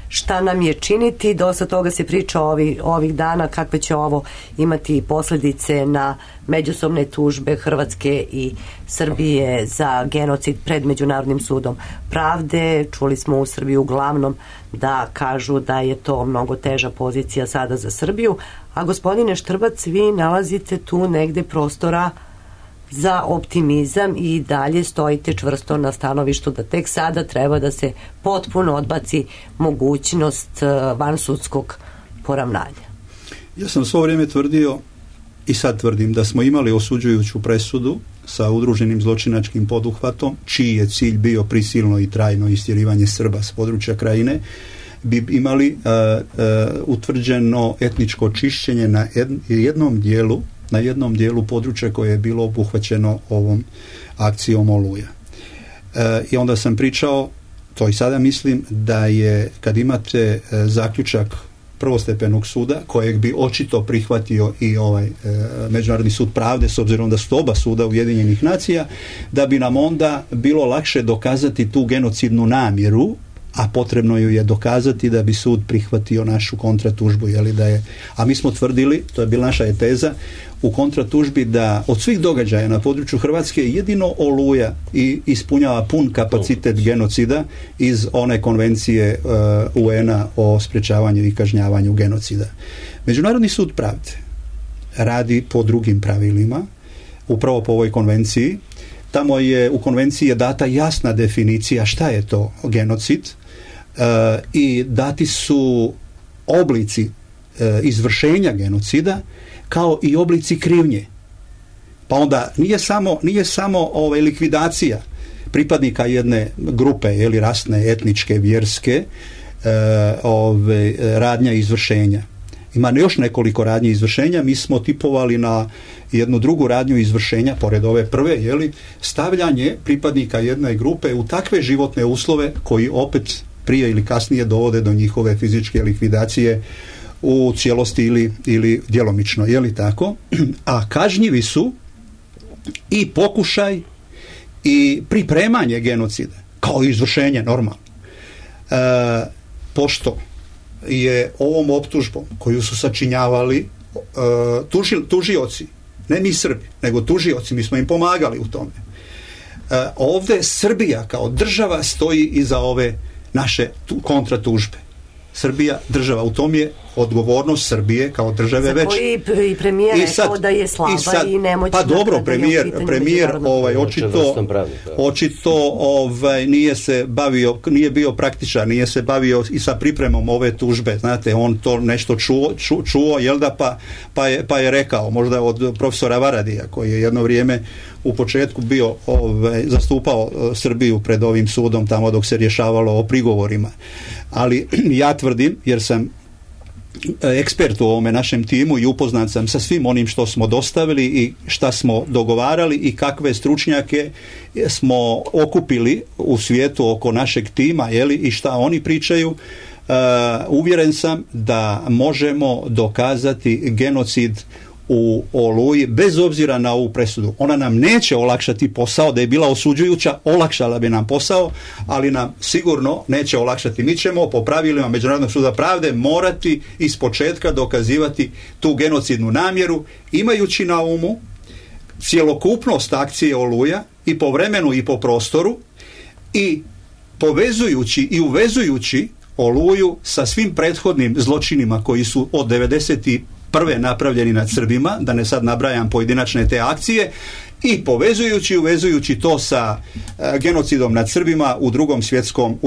šta nam je činiti. Dosta toga se priča ovih dana, kakve će ovo imati posljedice na međusobne tužbe Hrvatske i Srbije za genocid pred Međunarodnim sudom pravde. Čuli smo u Srbiji uglavnom da kažu da je to mnogo teža pozicija sada za Srbiju, a gospodine Štrbac, vi nalazite tu negde prostora za optimizam i dalje stojite čvrsto na stanovištu da tek sada treba da se potpuno odbaci mogućnost vansudskog poravnanja. Ja sam svo vrijeme tvrdio i sad tvrdim da smo imali osuđujuću presudu sa udruženim zločinačkim poduhvatom, čiji je cilj bio prisilno i trajno istjerivanje Srba s područja Krajine, bi imali utvrđeno etničko čišćenje na jednom dijelu područja koje je bilo obuhvaćeno ovom akcijom Oluja. I onda sam pričao, to i sada mislim, da je kad imate zaključak prvostepenog suda, kojeg bi očito prihvatio i ovaj Međunarodni sud pravde, s obzirom da su oba suda Ujedinjenih nacija, da bi nam onda bilo lakše dokazati tu genocidnu namjeru, a potrebno ju je dokazati da bi sud prihvatio našu kontratužbu, a mi smo tvrdili, to je bila naša teza u kontratužbi, da od svih događaja na području Hrvatske jedino Oluja i ispunjava pun kapacitet genocida iz one konvencije UN-a o sprečavanju i kažnjavanju genocida. Međunarodni sud pravde radi po drugim pravilima, upravo po ovoj konvenciji. Tamo je u konvenciji je data jasna definicija šta je to genocid i dati su oblici izvršenja genocida kao i oblici krivnje. Pa onda nije samo likvidacija pripadnika jedne grupe, rasne, etničke, vjerske, radnja izvršenja. Ima još nekoliko radnji izvršenja. Mi smo tipovali na jednu drugu radnju izvršenja, pored ove prve, stavljanje pripadnika jedne grupe u takve životne uslove koji opet prije ili kasnije dovode do njihove fizičke likvidacije u cijelosti ili djelomično, tako? A kažnjivi su i pokušaj i pripremanje genocida, kao i izvršenje normalno. Pošto je ovom optužbom koju su sačinjavali tužioci, ne mi Srbi, nego tužioci, mi smo im pomagali u tome. Ovdje Srbija kao država stoji iza ove naše kontratužbe. Srbija, država, u tom je odgovornost Srbije kao države već. Za koji i premijer rekao da je slaba i nemoćna. Pa dobro, premijer očito nije bio praktičan, nije se bavio i sa pripremom ove tužbe. Znate, on to nešto čuo, pa je rekao, možda od profesora Varadija, koji je jedno vrijeme u početku bio zastupao Srbiju pred ovim sudom tamo dok se rješavalo o prigovorima. Ali ja tvrdim, jer sam ekspert u ovome našem timu i upoznat sam sa svim onim što smo dostavili i šta smo dogovarali i kakve stručnjake smo okupili u svijetu oko našeg tima, i šta oni pričaju, uvjeren sam da možemo dokazati genocid u Oluji bez obzira na ovu presudu. Ona nam neće olakšati posao, da je bila osuđujuća, olakšala bi nam posao, ali nam sigurno neće olakšati. Mi ćemo po pravilima Međunarodnog suda pravde morati ispočetka dokazivati tu genocidnu namjeru, imajući na umu cjelokupnost akcije Oluja i po vremenu i po prostoru i povezujući i uvezujući Oluju sa svim prethodnim zločinima koji su od 91. napravljeni nad Srbima, da ne sad nabrajam pojedinačne te akcije, i povezujući i uvezujući to sa genocidom nad Srbima u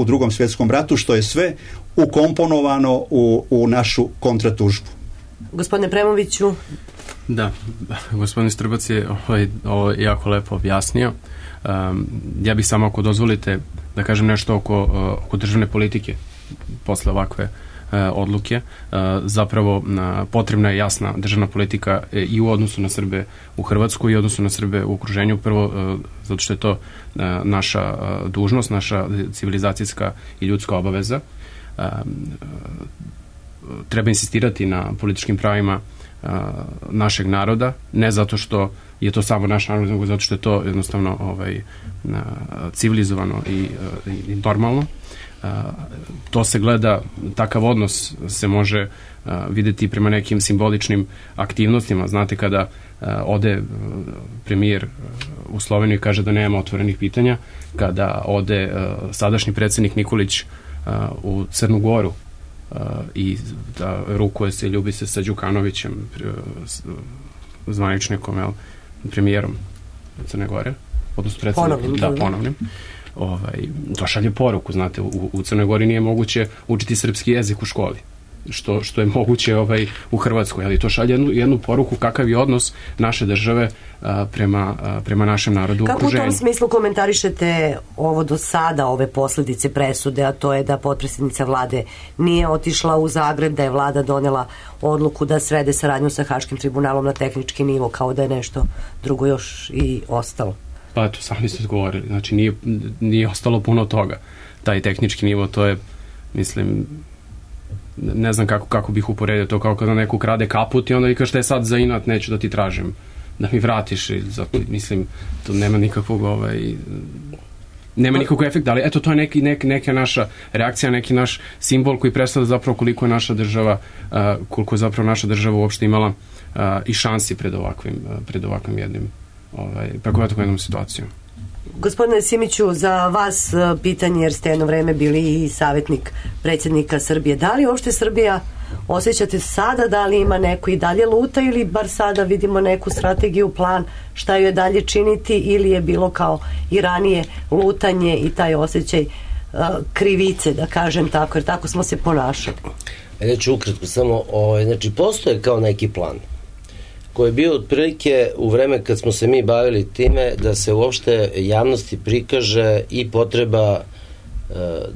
drugom svjetskom ratu, što je sve ukomponovano u našu kontratužbu. Gospodine Premoviću. Da, gospodin Strbac je ovo jako lepo objasnio. Ja bih samo, ako dozvolite, da kažem nešto oko državne politike posle ovakve odluke. Zapravo potrebna je jasna državna politika i u odnosu na Srbe u Hrvatskoj i u odnosu na Srbe u okruženju. Prvo, zato što je to naša dužnost, naša civilizacijska i ljudska obaveza. Treba insistirati na političkim pravima našeg naroda, ne zato što je to samo naš narod, nego zato što je to jednostavno civilizovano i normalno. To se gleda, takav odnos se može vidjeti prema nekim simboličnim aktivnostima. Znate, kada ode premijer u Sloveniju i kaže da nema otvorenih pitanja, kada ode sadašnji predsjednik Nikolić u Crnu Goru i da rukuje se i ljubi se sa Đukanovićem, zvaničnikom, premijerom Crne Gore, odnosno ponovnim. To šalje poruku, znate, u Crnoj Gori nije moguće učiti srpski jezik u školi, što je moguće u Hrvatskoj, ali to šalje jednu poruku kakav je odnos naše države prema našem narodu u okruženju. Kako u tom smislu komentarišete ovo do sada, ove posljedice presude, a to je da potpredsjednica vlade nije otišla u Zagreb, da je vlada donela odluku da svede saradnju sa Haškim tribunalom na tehnički nivo, kao da je nešto drugo još i ostalo? Pa eto, sami ste odgovorili. Znači, nije ostalo puno toga. Taj tehnički nivo, to je, mislim, ne znam kako bih uporedio to, kao kada neko krade kaput i onda vi kažete sad za inat neću da ti tražim da mi vratiš. Zato, mislim, to nema nikakvog nema nikakvog efekta, ali eto, to je neka naša reakcija, neki naš simbol koji predstavlja zapravo koliko je naša država, koliko je zapravo naša država uopšte imala i šansi pred ovakvim jednim, preko jednom situacijom. Gospodine Simiću, za vas pitanje, jer ste jedno vreme bili i savjetnik predsjednika Srbije. Da li uopšte Srbija osjećate sada, da li ima neko i dalje luta ili bar sada vidimo neku strategiju, plan šta ju je dalje činiti, ili je bilo kao i ranije lutanje i taj osjećaj krivice, da kažem tako, jer tako smo se ponašali? Ja ću ukratko samo, znači postoje kao neki plan koji je bio otprilike u vreme kad smo se mi bavili time da se uopšte javnosti prikaže i potreba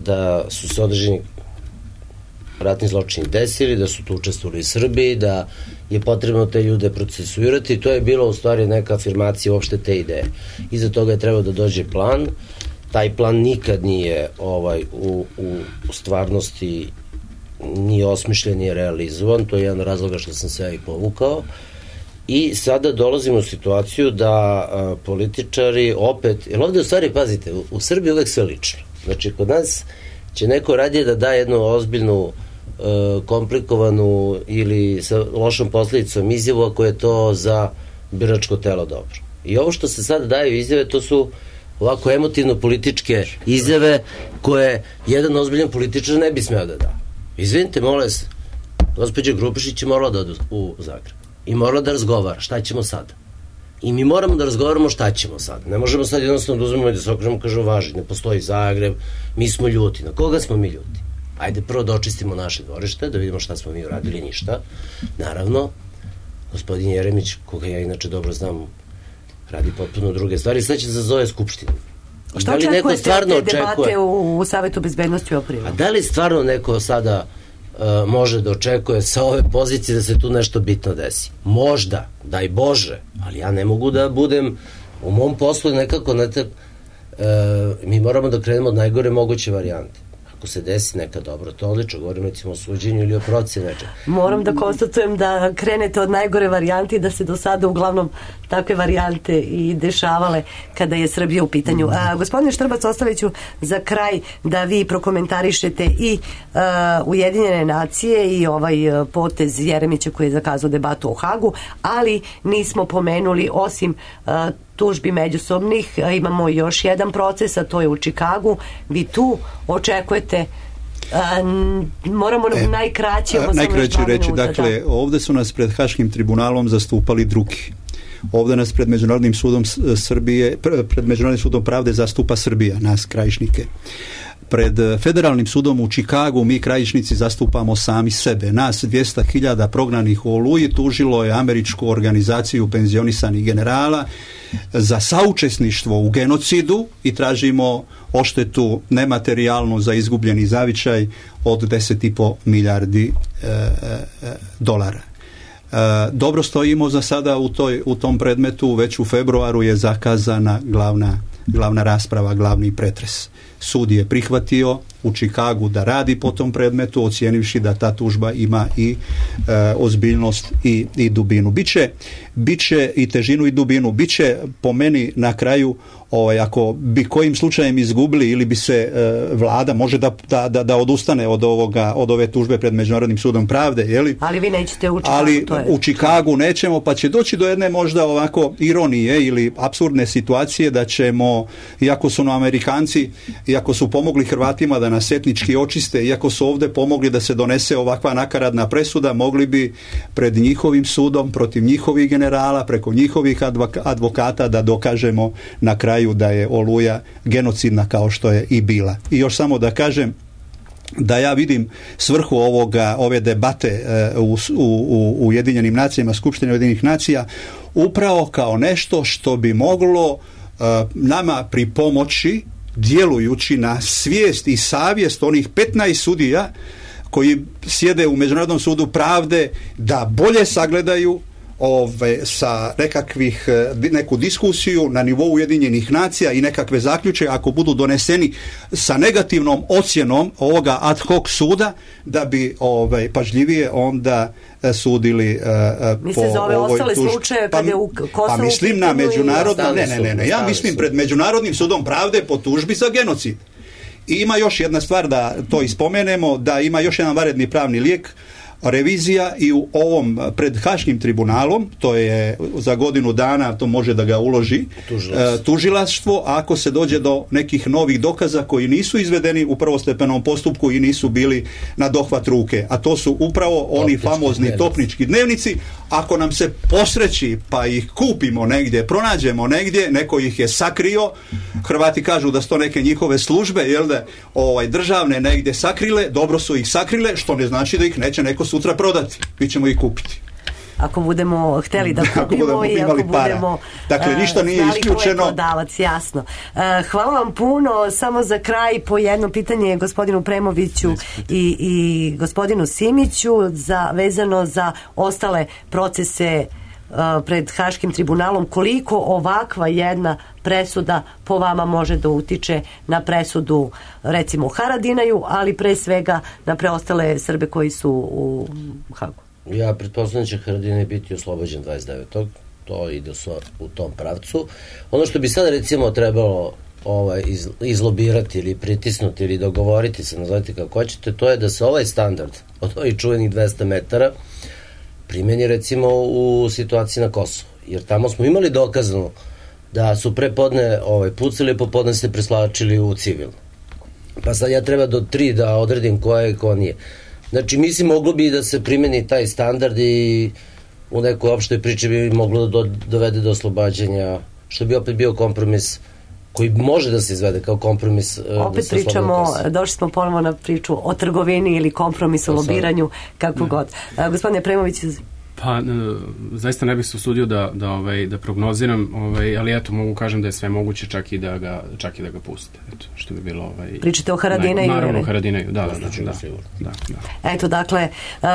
da su se određeni ratni zločini desili, da su tu učestvovali i Srbi, da je potrebno te ljude procesuirati, i to je bilo u stvari neka afirmacija uopšte te ideje. Iza toga je trebao da dođe plan. Taj plan nikad nije u stvarnosti nije osmišljen, nije realizovan, to je jedan razloga što sam se ja i povukao. I sada dolazimo u situaciju da političari opet, jer ovde u stvari, pazite, u Srbiji uvek sve lično. Znači, kod nas će neko radije da da jednu ozbiljnu, komplikovanu ili sa lošom posledicom izjavu ako je to za biračko telo dobro. I ovo što se sada daju izjave, to su ovako emotivno političke izjave koje jedan ozbiljan političar ne bi smeo da da. Izvinite, molim se, gospođa Grupišić je morala da ode u Zagreb i morala da razgovara šta ćemo sada. I mi moramo da razgovaramo šta ćemo sada. Ne možemo sad jednostavno da uzmemo i da se okrenemo, kažemo važi, ne postoji Zagreb, mi smo ljuti. Na koga smo mi ljuti? Ajde prvo da očistimo naše dvorište, da vidimo šta smo mi uradili, ništa. Naravno, gospodin Jeremić, koga ja inače dobro znam, radi potpuno druge stvari, sad će da zove Skupštinu. Šta očekujete od te debate u Savetu bezbednosti u aprilu? A da li stvarno neko sada može da očekuje sa ove pozicije da se tu nešto bitno desi? Možda, daj Bože, ali ja ne mogu da budem u mom poslu nekako mi moramo da krenemo od najgore moguće varijante. Ako se desi neka dobro, to odlično, govorim recimo o suđenju ili o procjeni nečega. Moram da konstatujem da krenete od najgore varijante i da se do sada uglavnom takve varijante i dešavale kada je Srbija u pitanju. Gospodine Štrbac, ostavit ću za kraj da vi prokomentarišete i Ujedinjene nacije i ovaj potez Jeremića koji je zakazao debatu o Hagu, ali nismo pomenuli osim tužbi međusobnih, imamo još jedan proces, a to je u Čikagu. Vi tu očekujete moramo najkraće reći, dakle, ovde su nas pred Haškim tribunalom zastupali drugi. Ovde nas pred Međunarodnim sudom Srbije, pred Međunarodnim sudom pravde zastupa Srbija, nas krajišnike. Pred Federalnim sudom u Čikagu mi krajišnici zastupamo sami sebe. Nas 200.000 prognanih u Oluji tužilo je američku organizaciju penzionisanih generala za saučesništvo u genocidu i tražimo odštetu nematerijalnu za izgubljeni zavičaj od 10,5 milijardi dolara. Dobro stojimo za sada u tom predmetu, već u februaru je zakazana glavna rasprava, glavni pretres. Sud je prihvatio u Čikagu da radi po tom predmetu, ocijenivši da ta tužba ima i ozbiljnost i dubinu. Biće i težinu i dubinu. Biće po meni na kraju, ako bi kojim slučajem izgubili ili bi se vlada može da odustane od ove tužbe pred Međunarodnim sudom pravde, jeli? Ali vi nećete u Čikagu. Ali u Čikagu nećemo, pa će doći do jedne možda ovako ironije ili apsurdne situacije da ćemo, iako su nam Amerikanci, iako su pomogli Hrvatima da nas etnički očiste, iako su ovde pomogli da se donese ovakva nakaradna presuda, mogli bi pred njihovim sudom, protiv njihovih generala, preko njihovih advokata da dokažemo na kraju da je Oluja genocidna kao što je i bila. I još samo da kažem da ja vidim svrhu ove debate u Ujedinjenim nacijama, Skupštine Ujedinjenih nacija, upravo kao nešto što bi moglo nama pripomoći, djelujući na svijest i savjest onih 15 sudija koji sjede u Međunarodnom sudu pravde, da bolje sagledaju sa neku diskusiju na nivou Ujedinjenih nacija i nekakve zaključe, ako budu doneseni sa negativnom ocjenom ovoga ad hoc suda, da bi pažljivije onda sudili po ovoj tužbi. Pa mislim na međunarodno, ne, ja mislim pred Međunarodnim sudom pravde po tužbi za genocid. I ima još jedna stvar, da to ispomenemo, da ima još jedan vanredni pravni lijek, revizija i u ovom pred Haškim tribunalom, to je za godinu dana, to može da ga uloži tužilaštvo, ako se dođe do nekih novih dokaza koji nisu izvedeni u prvostepenom postupku i nisu bili na dohvat ruke. A to su upravo oni famozni topnički dnevnici. Ako nam se posreći pa ih kupimo negdje, pronađemo negdje, neko ih je sakrio, Hrvati kažu da su to neke njihove službe, jel da, državne negdje sakrile, dobro su ih sakrile, što ne znači da ih neće neko sutra prodati. Mi ćemo ih kupiti. Ako budemo hteli da kupimo i ako budemo dakle, ništa nije isključeno. Prodavac, jasno. Hvala vam puno. Samo za kraj po jedno pitanje gospodinu Premoviću i gospodinu Simiću vezano za ostale procese pred Haškim tribunalom. Koliko ovakva jedna presuda po vama može da utiče na presudu recimo u Haradinaju, ali pre svega na preostale Srbe koji su u Hagu? Ja pretpostavljam da će Haradinaj biti oslobođen 29. To ide u tom pravcu. Ono što bi sada recimo trebalo izlobirati ili pritisnuti ili dogovoriti se, nazovite kako hoćete, to je da se ovaj standard od ovih čuvenih 200 metara primjeni recimo u situaciji na Kosovu. Jer tamo smo imali dokazano da su prepodne pucali, popodne se preslačili u civilno. Pa sad ja treba do 3 da odredim ko je i ko nije. Znači, mislim, moglo bi da se primjeni taj standard i u nekoj opštoj priči bi moglo da dovede do oslobađanja, što bi opet bio kompromis koji može da se izvede kao kompromis. Opet pričamo, došli smo ponovo na priču o trgovini ili kompromisu, lobiranju, kako god. Gospodine Premović. Pa, zaista ne bih se usudio da prognoziram, ali eto, mogu kažem da je sve moguće, čak i da ga puste. Eto, što bi bilo... Pričate o Haradinaju? Naravno, o Haradinaju, da. Eto, dakle,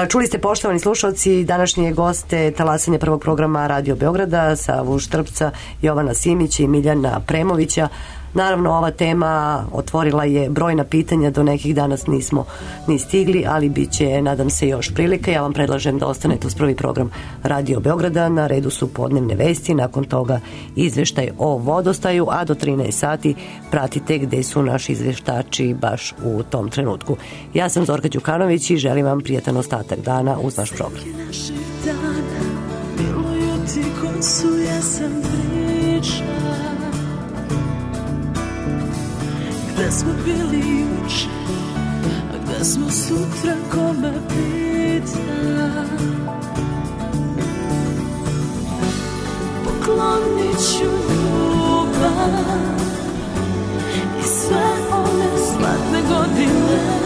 čuli ste, poštovani slušalci, današnje goste talasanja prvog programa Radio Beograda, Savu Štrbca, Jovana Simića i Miljana Premovića. Naravno, ova tema otvorila je brojna pitanja, do nekih danas nismo ni stigli, ali bit će, nadam se, još prilika. Ja vam predlažem da ostanete uz prvi program Radio Beograda. Na redu su podnevne vesti, nakon toga izveštaj o vodostaju, a do 13 sati pratite gde su naši izveštači baš u tom trenutku. Ja sam Zorka Đukanović i želim vam prijatan ostatak dana uz naš program. Gde smo bili juče, a gde smo sutra, ko me pita. Poklonit ću ljubav i sve one zlatne godine